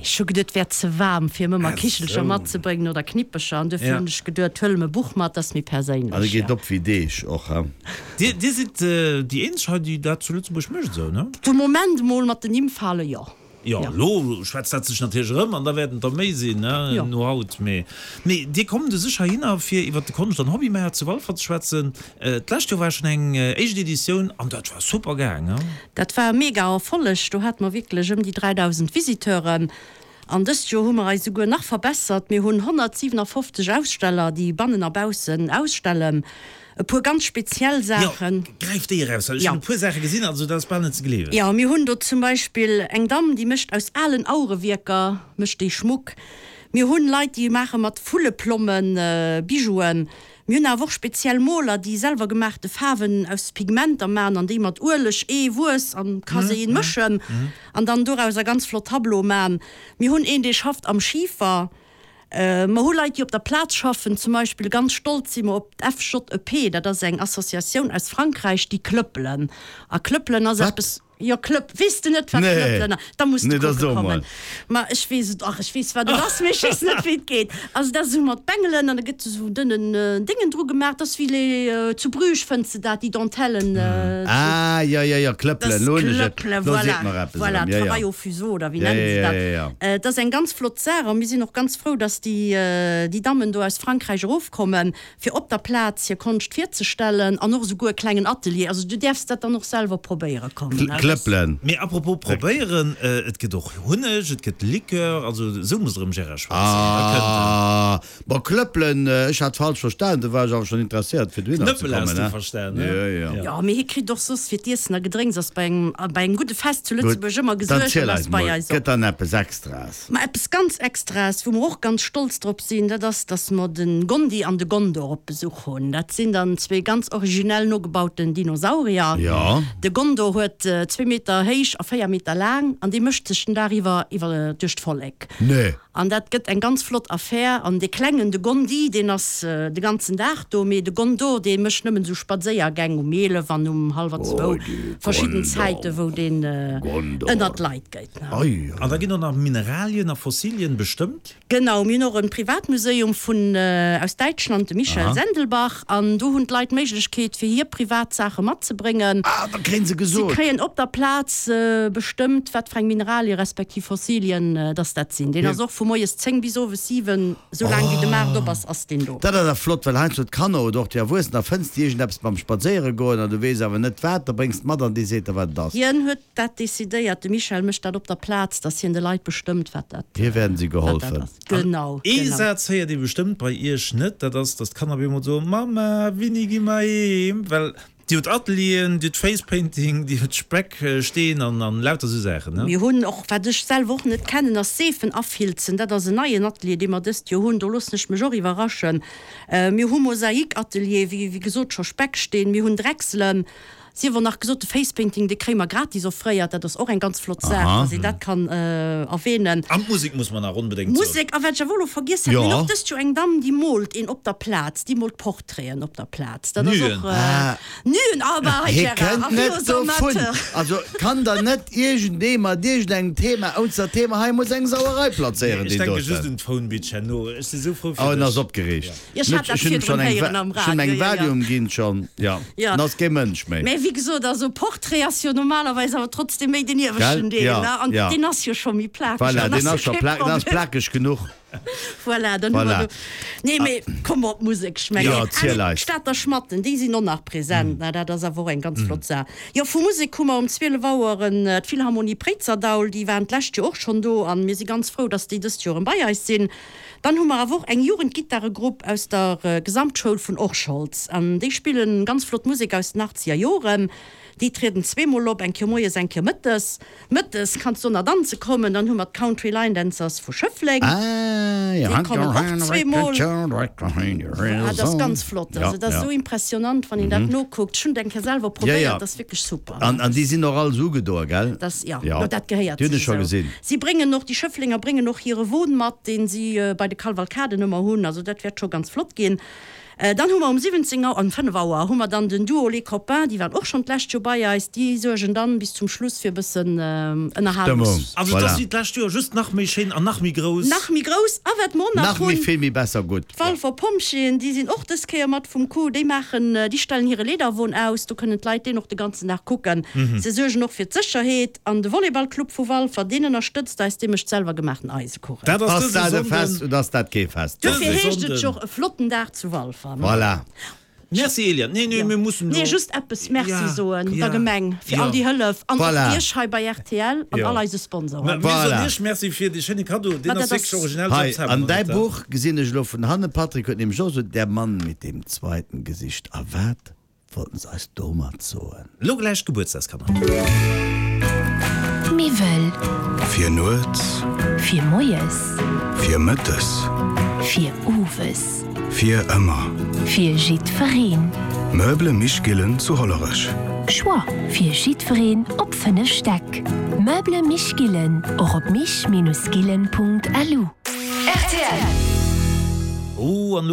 Ech hu geduet, et wär ze waarm fir ëm ëmmer Kichelcher matzebréngen oder Knippecher an duerfir hunn ech geduet, huele mer e Buch mat, dat ass méi perséinlech. An e geet op wéi Deeg och, he? Dir, dir sidd déi eenzeg hei, déi dat zu Lëtzebuerg mécht esou, ne? De Moment mol mat den Nimmfale, jo. Jo, elo schwätzt dat sech natierlech erëm an da wäerten et der méi sinn, ne, no haut. Mee, mee Dir kommt u sech heihinner, fir iwwert de Konscht an Hobbymaart zu Walfer ze schwätzen. D'lescht Joer war schonn eng éischt Editioun an dat war super gaang, ne? Dat war e mega Erfolleg. Do hate mer wierklech ëm déi 3.000 Visiteuren. An dëst Joer hu mer eis esouguer nach verbessert. Mir hunn 157 Aussteller, déi bannen a baussen ausstellen. E puer ganz speziell Saachen. Jo, gräif déi eraus, well ech hunn e puer Saache gesinn, also dat ass bal net ze gleewen. Jo, mir hunn do zum Beispill eng Damm, déi mécht aus alen Auerewierker mécht déi Schmuck. Mir hunn Leit, déi maache mat Vulleplommen Bijouen. Mir hunn awer och speziell Moler, déi selwer gemaachte Faarwen aus Pigmenter maachen an déi mat Ueleg, Ee, Wuess an Kasein mëschen an dann dorauser ganz flott Tableaue maachen. Mir hunn een, dee schafft am Schifer. Mer hu Leit, déi op der Plaz schaffen. Zum Beispill ganz stolz si mer op d'FJEP, dat ass eng Associatioun aus Frankräich, déi klëppelen. A klëppelen ass eppes. Jo, klëpp. Weess de net, wat klëppelen ass? Da muss de kucke kommen. Ma ech weess et, ach, ech weess, wat et ass, mee ech weess net, wéi et geet. Also dat ass esou mat Bengelen an da gëtt esou dënnen Déngen dru gemaach. Dat ass wéi les, zu Bruges fënns de dat, déi Dentellen. Ah, jo, jo, jo, klëppelen, elo hunn ech et. Klëppelen, voilà. Voilà, travail au fuseau, oder wéi nennen se dat? Et ass eng ganz flott Saach a mir sinn och ganz frou, dass déi déi Dammen do aus Frankräich erofkommen, fir op der Plaz hir Konscht virzestellen an och esouguer e klengen Atelier. Also du däerfs dat dann och selwer probéiere kommen. Klëppelen. Mee apropos probéieren, et gëtt och Hunneg, et gëtt Likör, also esou musst der ëm Gérard schwätzen, da kënnt en. Bon, Klëppelen, ech hat falsch verstanen, do war ech awer schon interesséiert fir dohinner ze Knëppel kommen, has du he? verstan, he? Jo, jo. Jo, mee hie kritt och soss fir d'Iessen a Gedrénks ass bei engem, bei engem gudde Fest zu Gutt, Lëtzebuerg ëmmer dann gesuergt ziel an eis ass bei mol, eis och. gëtt dann eppes Extraes? Ma eppes ganz Extraes, wou mer och ganz stolz drop sinn, dat ass, dass mer de Gondi an de Gondor op Besuch hunn. Dat sinn dann zwee ganz originell nogebauten Dinosaurier. Jo. De Gondor huet zwee Meter héich a 4 Meter laang an dee mécht sech den Dag iwwer iwwer duerch d'Vollek. Nee. An dat gëtt eng ganz flott Affär. An dee Klengen, de Gondi, deen ass de ganzen Dag do, mee de Gondor, dee mécht nëmmen esou Spadséiergäng um 11 an um hallwer zwou, verschidden Zäiten, wou deen ënnert d'Leit geet. An da ginn och nach Mineralien a Fossilien bestëmmt? Genau, mir hunn och e Privatmuseum vun aus Däitschland, de Michel Sendelbach, an do hunn d'Leit d'Méiglechkeet, fir hir privat Saache matzebréngen. Ah, da kréien se gesot. Si kréien op der Plaz bestëmmt, wat fir eng Mineralien respektiv Fossilien dass dat sinn. Deen ass och vu moies 10 bis owes 7, esou laang wéi de Maart op ass, ass deen do. Dat ass awer flott, well heiansdo d'Kanner oder och déi Erwuessen, da fënns de iergendeppes beim Spadséiere goen an du weess awer net wat, da bréngs de mat an dee seet der wat et ass. Hien huet dat decidéiert, de Michel mécht dat op der Plaz, dass hien de Leit bestëmmt, wat dat Hir werden si geholfen. ass. Genau, Ee genau. Saz héiert ee bestëmmt bei iech net, dat ass, dass d'Kanner op eemol soen, Mamma, wéini gi mer heem? Well Dir hutt Atelieren, dir hutt Facepainting, dir hutt Speck, Steen an an lauter sou Saachen, ne? Mir hunn och, wat ech selwer och net kennen, ass Seefen afilzen. Dat ass en neien Atelier, dee mer dëst Joer hunn. Do loossen ech mech och iwwerraschen. Mir hu Mosaikatelier, wéi wéi gesot scho Specksteen, mir hunn Drechselen. Sief och nach gesot, de Facepainting, dee kréie mer gratis offréiert. Dat ass och eng ganz flott Saach, dass een dat kann erwähnen. An d'Musek muss mer nach onbedéngt soen. Musek, a wat ech awer elo vergiess hat, mir hunn och dëst Joer eng Damm, déi moolt een op der Plaz, déi moolt Portraiten op der Plaz. Dat ass och. Nüen, aber hei Hie Gérard, kënnt a net wéi dovun. Amateur. Also kann der net iergendee mat iergendengem Thema, ounst dat Thema hei muss eng Sauerei plazéieren, Ech deen denke just doten. un d'Phone Bitch herno. Ech si sou frou Oh, fir en ass dech. opgereegt. Jo, ech hat dat Ech hunn virdrun schonn eng héieren am Ech hunn Radio, eng jo, jo. Valium ginn schonn, jo. Jo. En ass kee Mënsch méi. Mä wéi gesot, also Portrait ass jo normalerweis awer trotzdem méi den Gell? ieweschten Deel, Jo, ne? An jo. deen ass jo scho méi plakeg, Voilà, dann ass deen jo ass scho kee pla-, deen ass Problem. plakeg genuch. Voilà, dann hu mer Voilà. do. Nee, mee komm mer op d'Musek, ech mengen. Jo, Ah erziel nee, eis. d'Stater Schmatten, déi sinn och nach present, ne? Dat ass awer och eng ganz flott Saach. Jo, vu Musek hu mer um 12 Auer en d'Philharmonie Préizerdaul, déi waren d'lescht Joer och schonn do an mir si ganz frou, dass déi dëst Joer erëm bei eis sinn. Dann hu mer awer och eng Jugendgittaregrupp aus der Gesamtschoul vun Orscholz an déi spillen ganz flott Musek aus den achtzeger Joren. Déi trieden zweemol op, eng Kéier moies, eng Kéier mëttes. Mëttes kanns du na danze kommen. Dann hu mer d'Country Line Dancers vu Schëffleng, déi kommen och zweemol. Ah, dat ass ganz flott. Also dat ass esou impressionant, wann een dat nokuckt. Ech hunn et eng Kéier selwer probéiert, dat ass wierklech super. An déi sinn och all esou ugedoe, gell? Dat, jo, jo, dat gehéiert Déi hunn sech ech scho esou. gesinn. Si bréngen och, déi Schëfflenger bréngen och hire Won mat, deen si bei de Kalvalkaden ëmmer hunn. Also dat wäert scho ganz flott ginn. Dann hu mer um 17 Auer, um 5 Auer hu mer dann den Duo Les Copains, déi waren och schonn d'lescht Joer bei eis. Déi suergen dann bis zum Schluss fir e bëssen Ënnerhalungs. Stëmmung, Also et ass wéi d'lescht Joer, just nach méi schéin an nach méi grouss. Nach méi grouss. A wat mer och nach Nach méi hunn, vill méi besser gutt. D'Walfer Pompjeeën, déi sinn och dës Kéier mat vum Coup. Déi maachen, déi stellen hire Leederwon aus. Do kënnen d'Leit deen och de ganzen Dag kucken. Se suergen och fir d'Sécherheet. An de Volleyballclub vu Walfer, deen ënnerstëtzt eis, dee mécht selwer gemaachten Eisekuchen. Dat ass Ass dëse dat e Sonnden. Fest oder ass dat kee Fest? Dofir Dëse heescht et Sonnden. jo och e flotten Dag zu Walfer. Voilà. Merci Eliane. Nee, nee, Jo. mir mussen Nee, do. just eppes Merci Ja, soen der ja, Gemeng fir all ja. déi Hëllef an och Voilà. Iech hei bei rtl an Jo. all eise Mä Sponsoren. mir soen Voilà. Iech Merci fir dee schéine Kaddo. Deen Ma ass dat wierklech ass. originell. Hei, Selbst hat an mer däi net, Buch gesinn ech elo vun hannen, Patrick huet nämlech och esou Der Mann mit dem zweiten Gesicht. A wat Wollten se eis domat soen? Lo gläich d'Gebuertsdagskanner. Miwwel. Fir nuets. Fir moies. Fir mëttes. Fir owes. Fir ëmmer. Fir jiddwereen. Meuble Mich Gillen zu Hollerech. Choix fir jiddwereen op 5 Stäck. Meuble Mich Gillen, och op mich-gillen.lu. Rtl. Oh, an lo.